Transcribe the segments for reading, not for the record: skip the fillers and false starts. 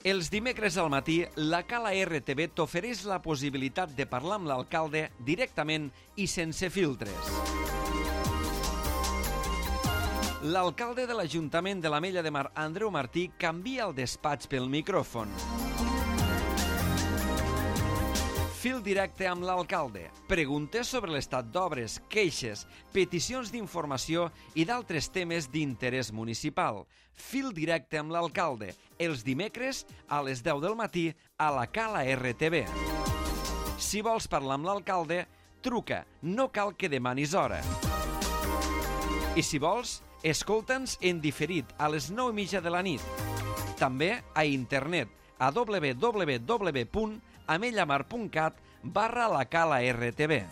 Els dimecres al matí, la Cala RTV t'ofereix la possibilitat de parlar amb l'alcalde directament i sense filtres. L'alcalde de l'Ajuntament de l'Ametlla de Mar, Andreu Martí, canvia el despatx pel micròfon. Fil directe amb l'alcalde. Preguntes sobre l'estat d'obres, queixes, peticions d'informació i d'altres temes d'interès municipal. Fil directe amb l'alcalde. Els dimecres a les 10 del matí a la Cala RTV. Si vols parlar amb l'alcalde, truca. No cal que demanis hora. I si vols, escolta'ns en diferit a les 9:30 de la nit. També a internet a www.amellamar.cat/la Cala RTV.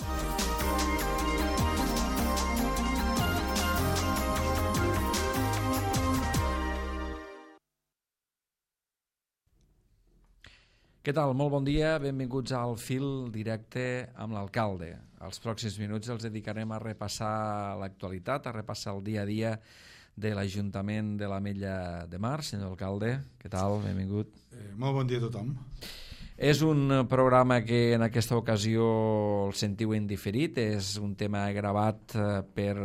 Què tal? Molt bon dia, benvinguts al Fil Directe amb l'alcalde. Els pròxims minuts els dedicarem a repassar l'actualitat, a repassar el dia a dia de l'Ajuntament de l'Ametlla de Mar. Senyor alcalde, què tal? Benvingut. Molt bon dia a tothom. És un programa que en aquesta ocasió el sentiu en diferit, és un tema gravat per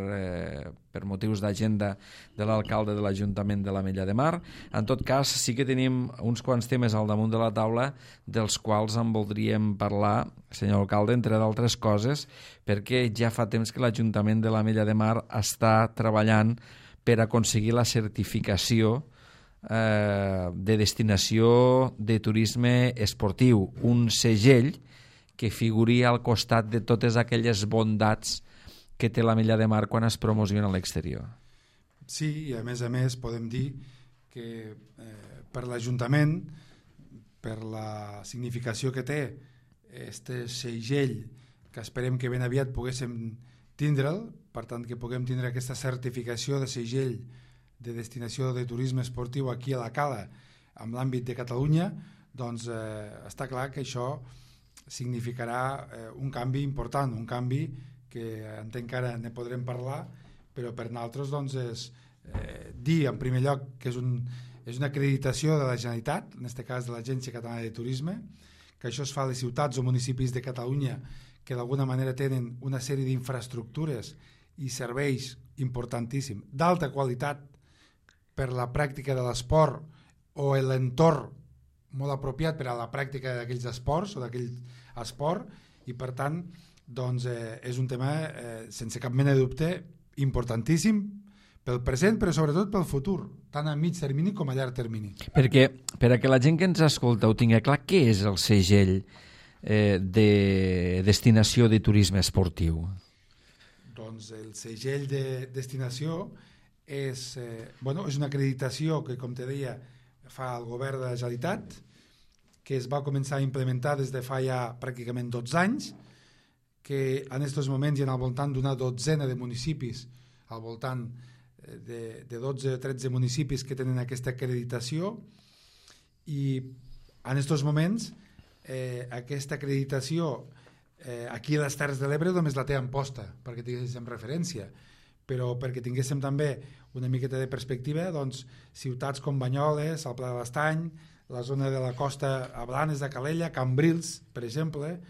motius d'agenda de l'alcalde de l'Ajuntament de l'Ametlla de Mar. En tot cas, sí que tenim uns quants temes al damunt de la taula dels quals en voldríem parlar, senyor alcalde, entre d'altres coses, perquè ja fa temps que l'Ajuntament de l'Ametlla de Mar està treballant per aconseguir la certificació de destinació de turisme esportiu, un segell que figuria al costat de totes aquelles bondats que té l'Ametlla de Mar quan es promociona a l'exterior. Sí, i a més podem dir que per l'Ajuntament, per la significació que té este segell, que esperem que ben aviat poguéssim tindre'l, per tant que puguem tindre aquesta certificació de segell de destinació de turisme esportiu aquí a la Cala amb l'àmbit de Catalunya, doncs està clar que això significarà un canvi important, un canvi que entenc que ara ne podrem parlar, però per nosaltres doncs, és dir en primer lloc que és una acreditació de la Generalitat, en aquest cas de l'Agència Catalana de Turisme, que això es fa a les ciutats o municipis de Catalunya que d'alguna manera tenen una sèrie d'infraestructures i serveis importantíssims, d'alta qualitat per la pràctica de l'esport o l'entorn molt apropiat per a la pràctica d'aquells esports o d'aquell esport, i per tant doncs, és un tema sense cap mena de dubte importantíssim pel present però sobretot pel futur, tant a mig termini com a llarg termini. Perquè per a que la gent que ens escolta ho tingui clar, què és el segell de destinació de turisme esportiu? Doncs el segell de destinació és una acreditació que, com te deia, fa el govern de la Generalitat, que es va començar a implementar des de fa ja pràcticament 12 anys, que en aquests moments hi ha al voltant d'una dotzena de municipis, al voltant de 12 o 13 municipis que tenen aquesta acreditació, i en aquests moments aquesta acreditació aquí a les Terres de l'Ebre només la té en posta, perquè tinguéssim referència, però perquè tinguéssim també una miqueta de perspectiva, doncs, ciutats com Banyoles, el Pla de l'Estany, la zona de la costa a Blanes de Calella, Cambrils, per exemple,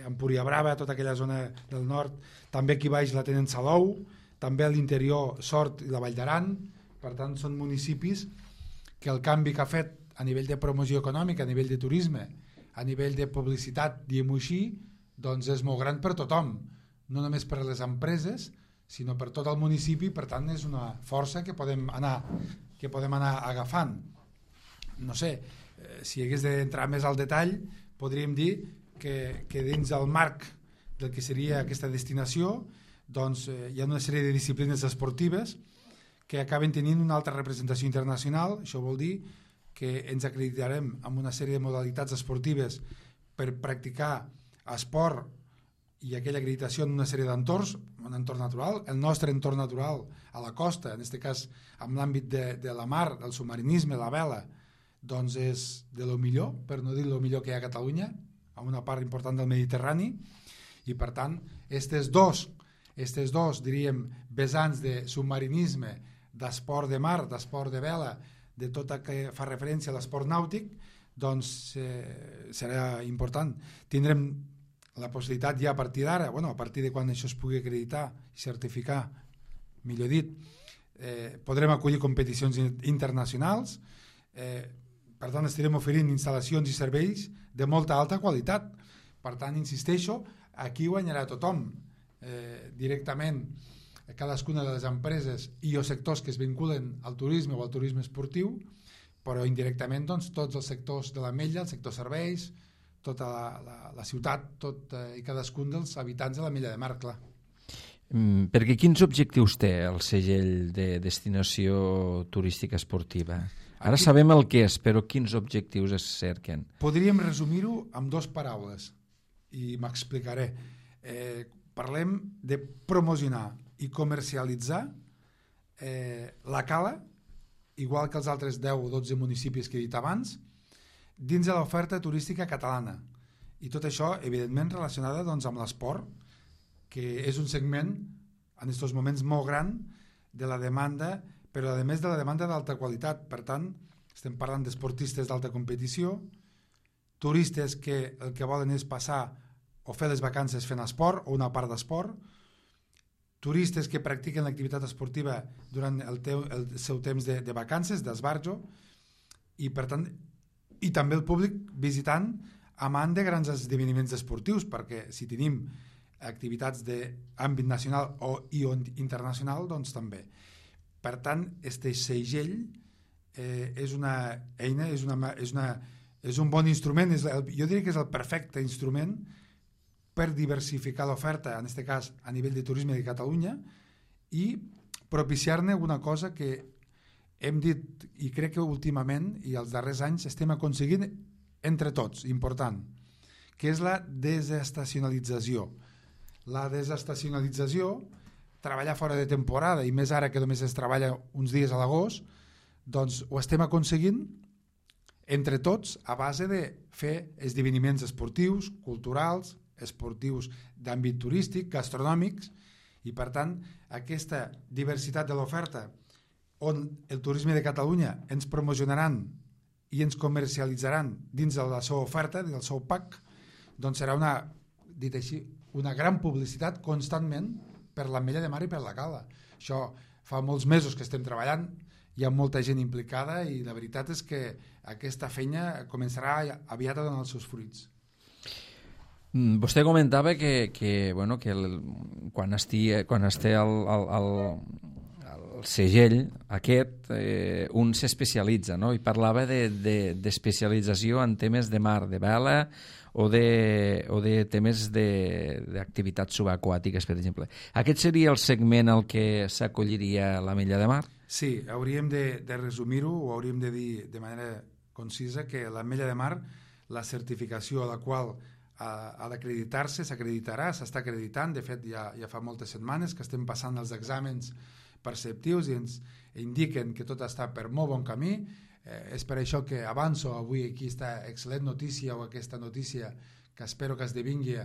Empuriabrava, tota aquella zona del nord, també aquí baix la tenen Salou, també a l'interior Sort i la Vall d'Aran. Per tant, són municipis que el canvi que ha fet a nivell de promoció econòmica, a nivell de turisme, a nivell de publicitat, diguem-ho així, doncs és molt gran per tothom, no només per les empreses, sinó per tot el municipi. Per tant és una força que podem anar agafant. No sé, si hagués d'entrar més al detall, podríem dir que dins el marc del que seria aquesta destinació, doncs hi ha una sèrie de disciplines esportives que acaben tenint una altra representació internacional. Això vol dir que ens acreditarem amb una sèrie de modalitats esportives per practicar esport i aquella acreditació en una sèrie d'entorns, un entorn natural. El nostre entorn natural a la costa, en aquest cas amb l'àmbit de la mar, del submarinisme, la vela, doncs és de lo millor, per no dir lo millor que hi ha a Catalunya, amb una part important del Mediterrani, i per tant, aquestes dos diríem, vessants de submarinisme, d'esport de mar, d'esport de vela, de tot el que fa referència a l'esport nàutic, doncs serà important. Tindrem la possibilitat ja a partir d'ara, a partir de quan això es pugui acreditar i certificar, millor dit, podrem acollir competicions internacionals, per tant estarem oferint instal·lacions i serveis de molta alta qualitat. Per tant, insisteixo, aquí guanyarà tothom, directament cadascuna de les empreses i o sectors que es vinculen al turisme o al turisme esportiu, però indirectament doncs, tots els sectors de l'Ametlla, el sector serveis, tota la ciutat, tot i cadascun dels habitants de l'Ametlla de Mar, clar. Perquè quins objectius té el segell de destinació turística esportiva? Ara sabem el que és, però quins objectius es cerquen? Podríem resumir-ho amb 2 paraules i m'explicaré. Parlem de promocionar i comercialitzar la cala, igual que els altres 10 o 12 municipis que he dit abans, dins de l'oferta turística catalana. I tot això, evidentment, relacionada doncs, amb l'esport, que és un segment, en aquests moments, molt gran de la demanda, però a més de la demanda d'alta qualitat. Per tant, estem parlant d'esportistes d'alta competició, turistes que el que volen és passar o fer les vacances fent esport o una part d'esport, turistes que practiquen l'activitat esportiva durant el seu temps de vacances, d'esbarjo, i per tant, i també el públic visitant amant de grans esdeveniments esportius, perquè si tenim activitats d'àmbit nacional i internacional, doncs també. Per tant, este segell és una eina, és un bon instrument, jo diria que és el perfecte instrument per diversificar l'oferta, en aquest cas a nivell de turisme de Catalunya, i propiciar-ne una cosa que hem dit, i crec que últimament i els darrers anys estem aconseguint entre tots, important, que és la desestacionalització. La desestacionalització, treballar fora de temporada, i més ara que només es treballa uns dies a l'agost, doncs ho estem aconseguint entre tots a base de fer esdeveniments esportius, culturals, esportius d'àmbit turístic, gastronòmics, i per tant aquesta diversitat de l'oferta on el turisme de Catalunya ens promocionaran i ens comercialitzaran dins de la seva oferta, del seu pack, doncs serà dit així, una gran publicitat constantment per l'Ametlla de Mar i per la Cala. Això fa molts mesos que estem treballant, hi ha molta gent implicada i la veritat és que aquesta feina començarà aviat a donar els seus fruits. Vostè comentava que quan esté el segell aquest, un s'especialitza, no? I parlava d'especialització en temes de mar, de vela o de temes d'activitats subaquàtiques, per exemple. Aquest seria el segment al que s'acolliria l'Ametlla de Mar? Sí, hauríem de resumir-ho, o hauríem de dir de manera concisa que l'Ametlla de Mar, la certificació a la qual ha d'acreditar-se, s'acreditarà, s'està acreditant, de fet ja fa moltes setmanes que estem passant els exàmens perceptius i ens indiquen que tot està per molt bon camí. És per això que avanço avui aquí aquesta excel·lent notícia o aquesta notícia que espero que esdevingui,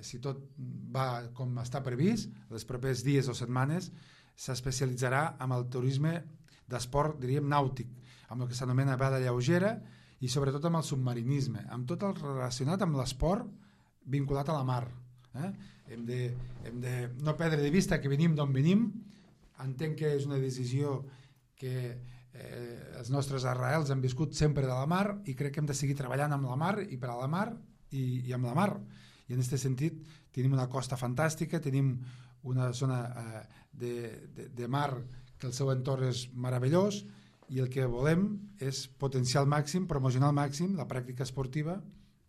si tot va com està previst, els propers dies o setmanes, s'especialitzarà amb el turisme d'esport, diríem, nàutic, amb el que s'anomena vela lleugera i sobretot amb el submarinisme, amb tot el relacionat amb l'esport vinculat a la mar. Hem de no perdre de vista que venim d'on venim. Entenc que és una decisió que els nostres arrels han viscut sempre de la mar i crec que hem de seguir treballant amb la mar i per a la mar i amb la mar. I en aquest sentit tenim una costa fantàstica, tenim una zona de mar que el seu entorn és meravellós i el que volem és potenciar al màxim, promocionar al màxim la pràctica esportiva,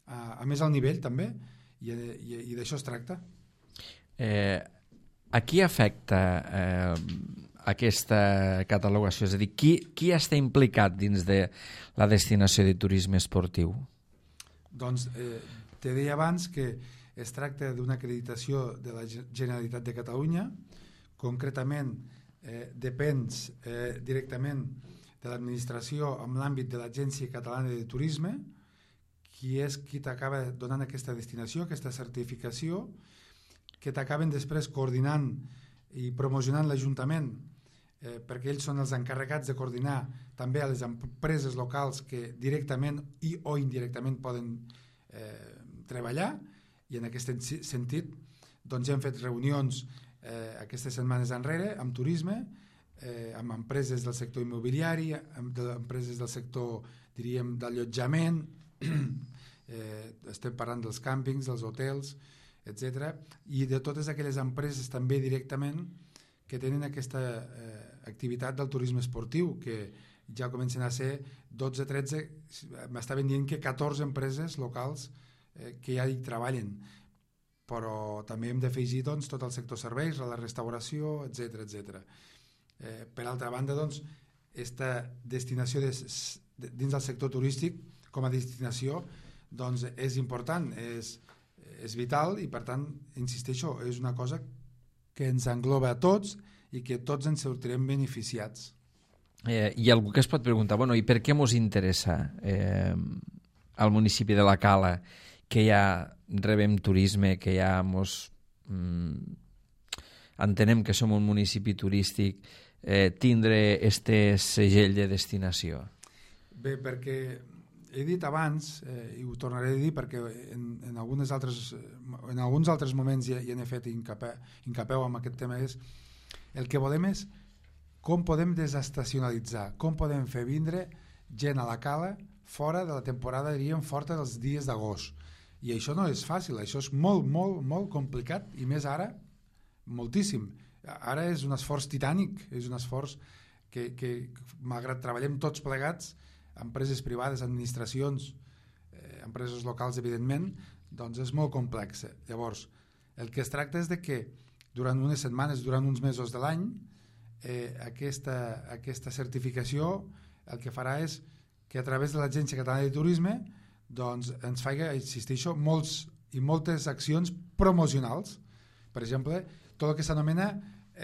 a més al nivell també, i d'això es tracta. A qui afecta aquesta catalogació? És a dir, qui està implicat dins de la destinació de turisme esportiu? Doncs te deia abans que es tracta d'una acreditació de la Generalitat de Catalunya, concretament depens directament de l'administració amb l'àmbit de l'Agència Catalana de Turisme, qui és qui t'acaba donant aquesta destinació, aquesta certificació, que t'acaben després coordinant i promocionant l'Ajuntament perquè ells són els encarregats de coordinar també a les empreses locals que directament o indirectament poden treballar, i en aquest sentit doncs hem fet reunions aquestes setmanes enrere amb turisme, amb empreses del sector immobiliari, amb empreses del sector, diríem, d'allotjament, estem parlant dels càmpings, dels hotels, etc. I de totes aquelles empreses també directament que tenen aquesta activitat del turisme esportiu, que ja comencen a ser 12, 13, m'estaven dient que 14 empreses locals que ja hi treballen, però també hem d'afegir doncs, tot el sector serveis, la restauració, etc etc. Per altra banda, doncs, aquesta destinació dins del sector turístic com a destinació doncs, és important, és vital, i per tant, insisteixo, és una cosa que ens engloba a tots i que tots ens sortirem beneficiats. Hi ha algú que es pot preguntar, bueno, i per què ens interessa al municipi de la Cala que ja rebem turisme, que ja entenem que som un municipi turístic, tindre este segell de destinació? Bé, perquè he dit abans, i ho tornaré a dir perquè en alguns altres moments ja n'he fet incapeu amb aquest tema, és el que volem és com podem desestacionalitzar, com podem fer vindre gent a la Cala fora de la temporada, diríem, forta dels dies d'agost. I això no és fàcil, això és molt, molt, molt complicat, i més ara, moltíssim. Ara és un esforç titànic, és un esforç que malgrat treballem tots plegats, empreses privades, administracions, empreses locals, evidentment, doncs és molt complex. Llavors, el que es tracta és de que durant unes setmanes, durant uns mesos de l'any, aquesta certificació el que farà és que a través de l'Agència Catalana de Turisme doncs ens faci, insisteixo, moltes accions promocionals. Per exemple, tot el que s'anomena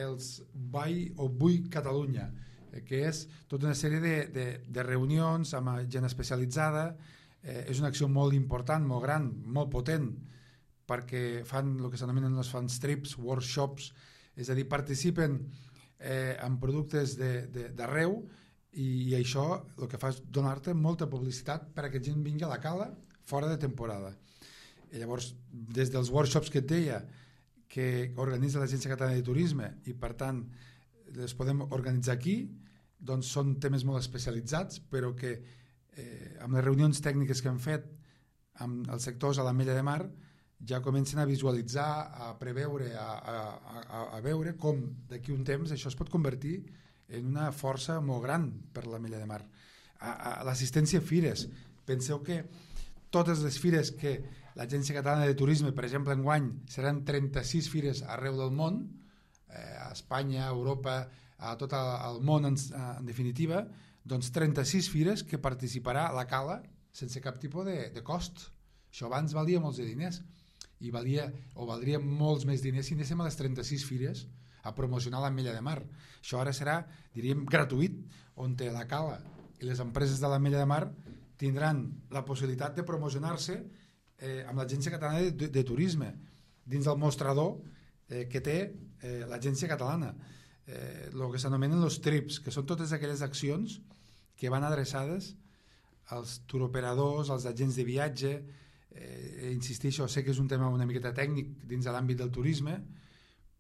els Vull Catalunya, que és tota una sèrie de reunions amb gent especialitzada. És una acció molt important, molt gran, molt potent, perquè fan el que s'anomenen els fan trips, workshops, és a dir, participen en productes d'arreu, i això el que fa és donar-te molta publicitat perquè gent vingui a la Cala fora de temporada. I llavors, des dels workshops que et deia, que organitza l'Agència Catalana de Turisme, i per tant les podem organitzar aquí, doncs són temes molt especialitzats, però que amb les reunions tècniques que hem fet amb els sectors a l'Ametlla de Mar ja comencen a visualitzar, a preveure, a veure com d'aquí un temps això es pot convertir en una força molt gran per l'Ametlla de Mar. L'assistència a fires. Penseu que totes les fires que l'Agència Catalana de Turisme, per exemple, enguany seran 36 fires arreu del món, a Espanya, a Europa, a tot el món en definitiva, doncs 36 fires que participarà la Cala sense cap tipus de cost. Això abans valia molts de diners, i valdria molts més diners si anéssim a les 36 fires a promocionar l'Ametlla de Mar. Això ara serà, diríem, gratuït, on la Cala i les empreses de l'Ametlla de Mar tindran la possibilitat de promocionar-se amb l'Agència Catalana de Turisme dins del mostrador que té l'Agència Catalana, el que s'anomenen els trips, que són totes aquelles accions que van adreçades als turoperadors, als agents de viatge. Insisteixo, sé que és un tema una miqueta tècnic dins de l'àmbit del turisme,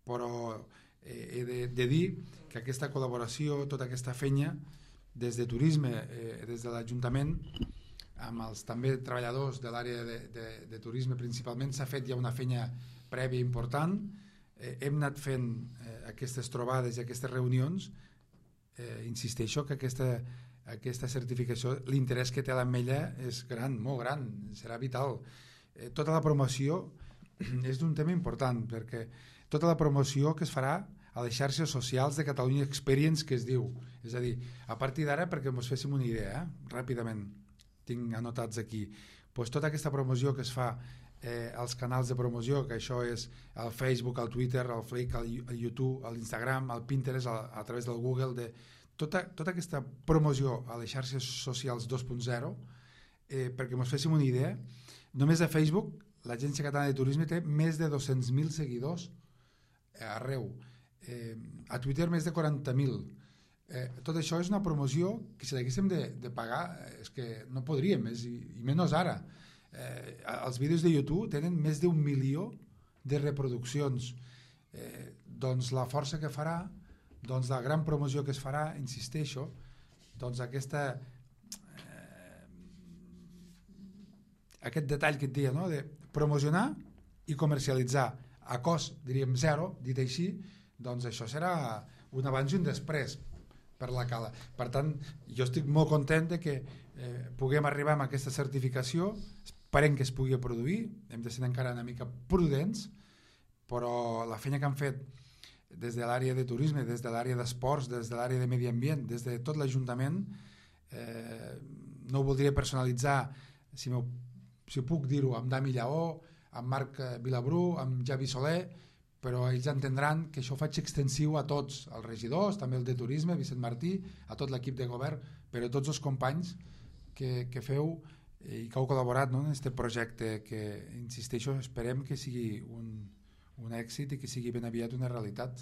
però he de dir que aquesta col·laboració, tota aquesta feina des de turisme, des de l'Ajuntament, amb els també treballadors de l'àrea de turisme principalment, s'ha fet ja una feina prèvia important. Hem anat fent aquestes trobades i aquestes reunions. Insisteixo que aquesta certificació, l'interès que té l'Ametlla és gran, molt gran, serà vital. Tota la promoció és un tema important, perquè tota la promoció que es farà a les xarxes socials de Catalunya Experience, que es diu, és a dir, a partir d'ara, perquè ens féssim una idea, ràpidament, tinc anotats aquí, doncs tota aquesta promoció que es fa als canals de promoció, que això és el Facebook, el Twitter, el Flickr, el YouTube, l'Instagram, el Pinterest, a través del Google, tota aquesta promoció a les xarxes socials 2.0, perquè ens féssim una idea, només a Facebook l'Agència Catalana de Turisme té més de 200.000 seguidors arreu, a Twitter més de 40.000, tot això és una promoció que si l'haguéssim de pagar és que no podríem, i menys ara. Els vídeos de YouTube tenen més d'1 milió de reproduccions. Doncs la força que farà, doncs la gran promoció que es farà, insisteixo, doncs aquest detall que et deia, no? De promocionar i comercialitzar a cost, diríem, zero, dit així, doncs això serà un abans i un després per la Cala. Per tant, jo estic molt content de que puguem arribar a aquesta certificació, esperem que es pugui produir, hem de ser encara una mica prudents, però la feina que han fet des de l'àrea de turisme, des de l'àrea d'esports, des de l'àrea de medi ambient, des de tot l'Ajuntament, no ho voldria personalitzar, si puc dir-ho, amb Dami Lleó, amb Marc Vilabrú, amb Javi Soler, però ells entendran que això ho faig extensiu a tots, als regidors, també el de turisme, Vicent Martí, a tot l'equip de govern, però a tots els companys que feu i que heu col·laborat, no, en aquest projecte que, insisteixo, esperem que sigui un èxit i que sigui ben aviat una realitat.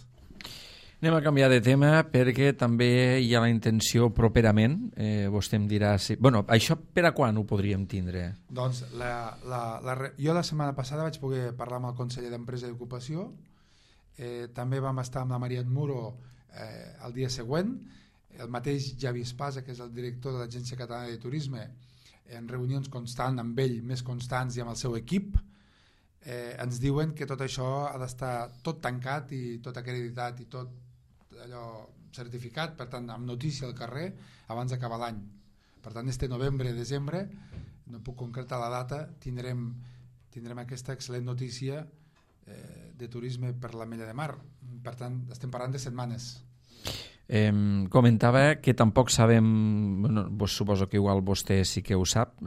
Anem a canviar de tema perquè també hi ha la intenció properament, vostè em dirà si... Bueno, això per a quan ho podríem tindre? Doncs jo la setmana passada vaig poder parlar amb el conseller d'Empresa i Ocupació, també vam estar amb la Maria Muro el dia següent, el mateix Javi Espasa, que és el director de l'Agència Catalana de Turisme, en reunions constants amb ell, més constants i amb el seu equip, ens diuen que tot això ha d'estar tot tancat i tot acreditat i tot allò certificat, per tant amb notícia al carrer abans d'acabar l'any. Per tant, este novembre, desembre, no puc concretar la data, tindrem aquesta excel·lent notícia de turisme per l'Ametlla de Mar. Per tant, estem parlant de setmanes. Comentava que tampoc sabem, bueno, suposo que igual vostè sí que ho sap,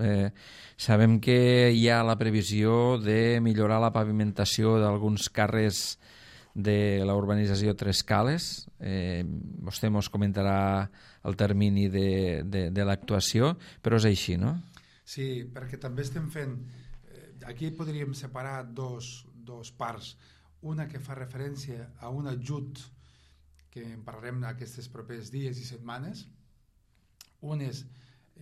sabem que hi ha la previsió de millorar la pavimentació d'alguns carrers de la urbanització Tres Cales. Vostè ens comentarà el termini de l'actuació, però és així, no? Sí, perquè també estem fent... Aquí podríem separar dos parts. Una que fa referència a un ajut que en parlarem aquests propers dies i setmanes. Un és,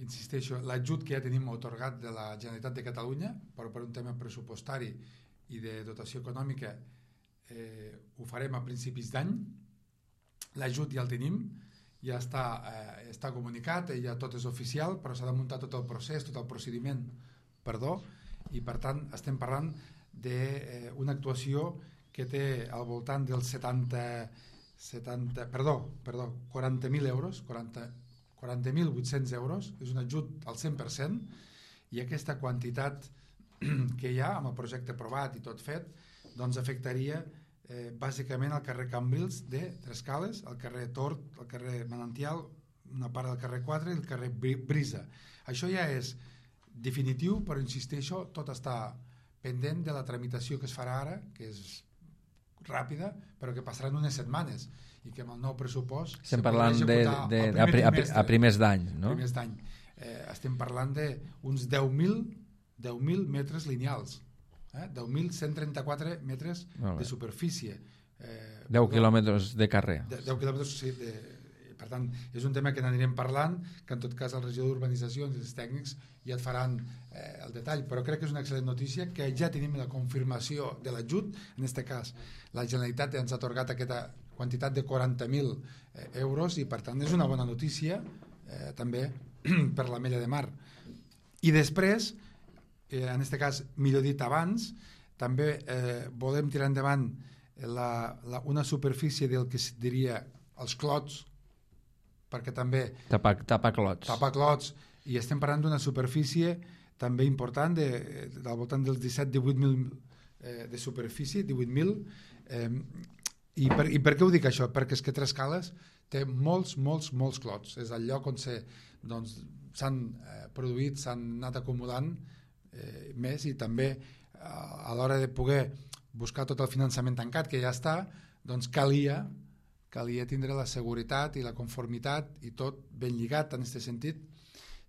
insisteixo, l'ajut que ja tenim atorgat de la Generalitat de Catalunya, però per un tema pressupostari i de dotació econòmica ho farem a principis d'any. L'ajut ja el tenim, ja està comunicat, ja tot és oficial, però s'ha de muntar tot el procés, tot el procediment, i per tant estem parlant d'una actuació que té al voltant dels 40.000 euros, 40.800 euros, és un ajut al 100%, i aquesta quantitat que hi ha amb el projecte aprovat i tot fet, doncs afectaria bàsicament el carrer Cambrils de Tres Cales, el carrer Tort, el carrer Manantial, una part del carrer 4 i el carrer Brisa. Això ja és definitiu, però insisteixo, tot està pendent de la tramitació que es farà ara, que és ràpida, però que passaran unes setmanes i que amb el nou pressupost estem parlant a primers d'any, no? Primers d'any. Estem parlant d'uns 10.000 metres lineals, 10.134 metres de superfície. 10 quilòmetres de carrer. 10 quilòmetres, sí. Per tant, és un tema que n'anirem parlant, que en tot cas el regidor d'Urbanització i els tècnics ja et faran el detall, però crec que és una excel·lent notícia que ja tenim la confirmació de l'ajut. En aquest cas, la Generalitat ens ha atorgat aquesta quantitat de 40.000 euros i per tant és una bona notícia també per l'Ametlla de Mar. I després, en aquest cas, millor dit abans, també volem tirar endavant una superfície del que es diria els clots, perquè també... Tapar clots. Tapar clots, i estem parlant d'una superfície també important, del voltant dels 17-18.000 de superfície, 18.000. I per què ho dic això? Perquè és que Tres Cales té molts clots. És el lloc on s'han produït, s'han anat acumulant més, i també a l'hora de poder buscar tot el finançament tancat, que ja està, doncs calia tindre la seguretat i la conformitat i tot ben lligat en aquest sentit.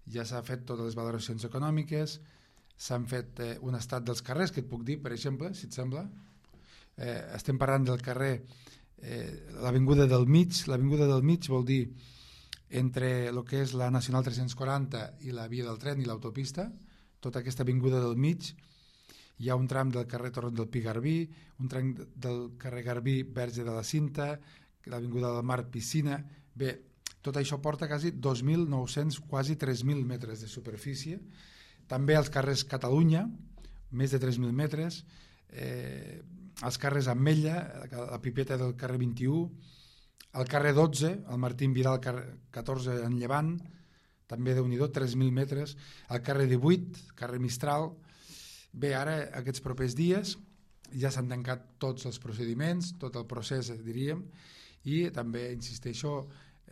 Ja s'ha fet totes les valoracions econòmiques, s'han fet un estat dels carrers, que et puc dir, per exemple, si et sembla. Estem parlant del carrer, l'avinguda del mig. L'avinguda del mig vol dir entre el que és la Nacional 340 i la via del tren i l'autopista, tota aquesta avinguda del mig. Hi ha un tram del carrer Torrent del Pi Garbí, un tram del carrer Garbí Verge de la Cinta, l'avinguda del Mar Piscina. Bé, tot això porta quasi 2.900, quasi 3.000 metres de superfície. També els carrers Catalunya, més de 3.000 metres, els carrers Ametlla, la Pipeta del carrer 21, el carrer 12, el Martín Vidal 14 en Llevant, també Déu-n'hi-do, 3.000 metres, el carrer 18, carrer Mistral. Bé, ara aquests propers dies ja s'han tancat tots els procediments, tot el procés, diríem, i també, insisteixo,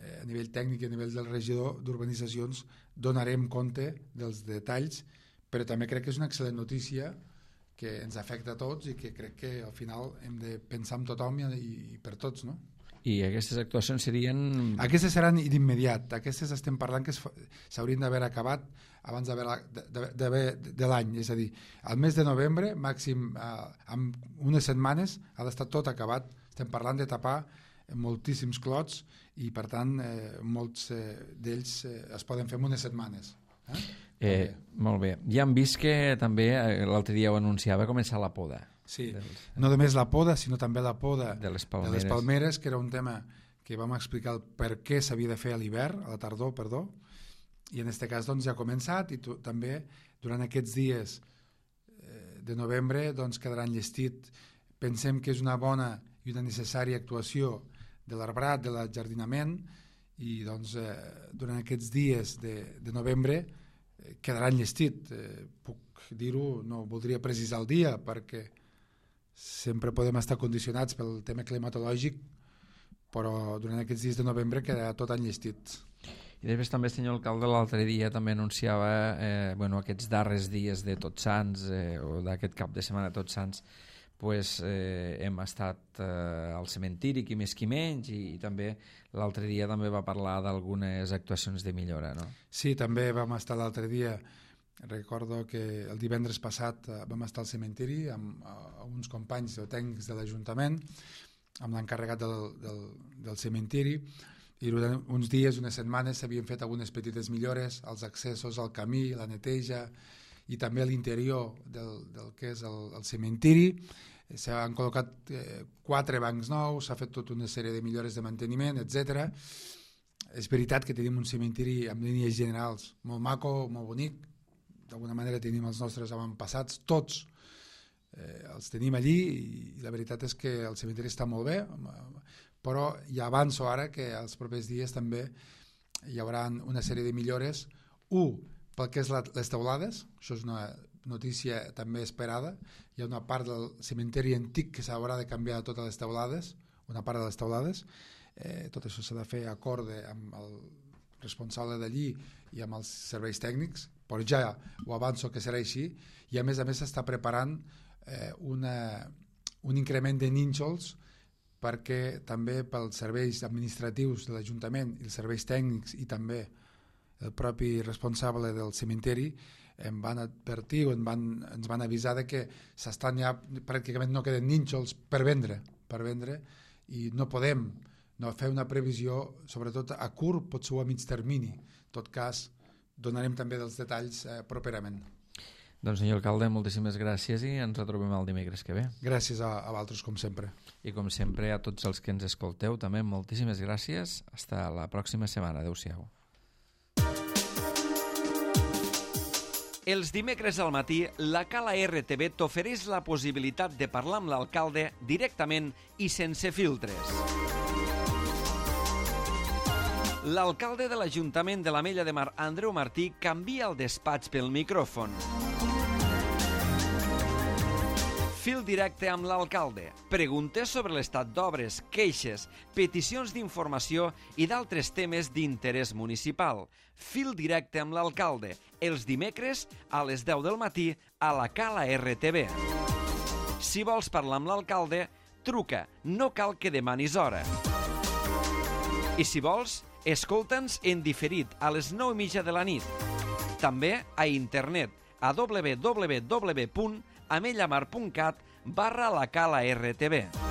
a nivell tècnic i a nivell del regidor d'urbanitzacions donarem compte dels detalls, però també crec que és una excel·lent notícia que ens afecta a tots i que crec que al final hem de pensar en tothom i per tots, no? I aquestes actuacions serien... Aquestes seran d'immediat. Aquestes estem parlant que s'haurien d'haver acabat abans de l'any. És a dir, al mes de novembre, màxim en unes setmanes, ha d'estar tot acabat. Estem parlant de tapar moltíssims clots i, per tant, molts d'ells es poden fer en unes setmanes. Molt bé. Ja hem vist que també, l'altre dia ho anunciava, començar la poda. Sí, no només la poda, sinó també la poda de les palmeres, que era un tema que vam explicar el per què s'havia de fer a l'hivern, a la tardor, perdó, i en aquest cas doncs, ja ha començat i també durant aquests dies de novembre doncs, quedarà enllestit. Pensem que és una bona i una necessària actuació de l'arbrat, de l'ajardinament, i doncs, durant aquests dies de novembre quedarà enllestit. Puc dir-ho, no voldria precisar el dia perquè sempre podem estar condicionats pel tema climatològic, però durant aquests dies de novembre quedarà tot enllestit. I després també, senyor alcalde, l'altre dia també anunciava aquests darrers dies de Tots Sants o d'aquest cap de setmana de Tots Sants, hem estat al cementiri, qui més qui menys, i també l'altre dia també va parlar d'algunes actuacions de millora, no? Sí, també vam estar l'altre dia. Recordo que el divendres passat vam estar al cementiri amb uns companys o tècnics de l'Ajuntament, amb l'encarregat del cementiri, i durant uns dies, unes setmanes, s'havien fet algunes petites millores als accessos, al camí, la neteja, i també a l'interior del que és el cementiri. S'han col·locat 4 bancs nous, s'ha fet tota una sèrie de millores de manteniment, etc. És veritat que tenim un cementiri amb línies generals molt maco, molt bonic. D'alguna manera tenim els nostres avantpassats, tots els tenim allí, i la veritat és que el cementiri està molt bé, però ja avanço ara que els propers dies també hi haurà una sèrie de millores. Pel que és les teulades, això és una notícia també esperada. Hi ha una part del cementiri antic que s'haurà de canviar totes les teulades, una part de les teulades. Tot això s'ha de fer acord amb el responsable d'allí i amb els serveis tècnics, però ja ho avanço que serà així, i a més s'està preparant un increment de nínxols perquè també pels serveis administratius de l'Ajuntament i els serveis tècnics i també el propi responsable del cementiri em van advertir o ens van avisar de que s'estan ja, pràcticament no queden nínxols per vendre, i no podem fer una previsió, sobretot a curt, potser a mig termini. En tot cas, donarem també dels detalls properament. Doncs, senyor alcalde, moltíssimes gràcies i ens retrobem el dimecres que ve. Gràcies a vosaltres, com sempre. I com sempre, a tots els que ens escolteu, també moltíssimes gràcies. Hasta la pròxima setmana. Adéu-siau. Els dimecres al matí, la Cala RTV t'ofereix la possibilitat de parlar amb l'alcalde directament i sense filtres. L'alcalde de l'Ajuntament de l'Ametlla de Mar, Andreu Martí, canvia el despatx pel micròfon. Fil directe amb l'alcalde. Preguntes sobre l'estat d'obres, queixes, peticions d'informació i d'altres temes d'interès municipal. Fil directe amb l'alcalde. Els dimecres a les 10 del matí a la Cala RTV. Si vols parlar amb l'alcalde, truca. No cal que demanis hora. I si vols, escolta'ns en diferit a les 9:30 de la nit. També a internet a www.amellamar.cat/la Cala RTV.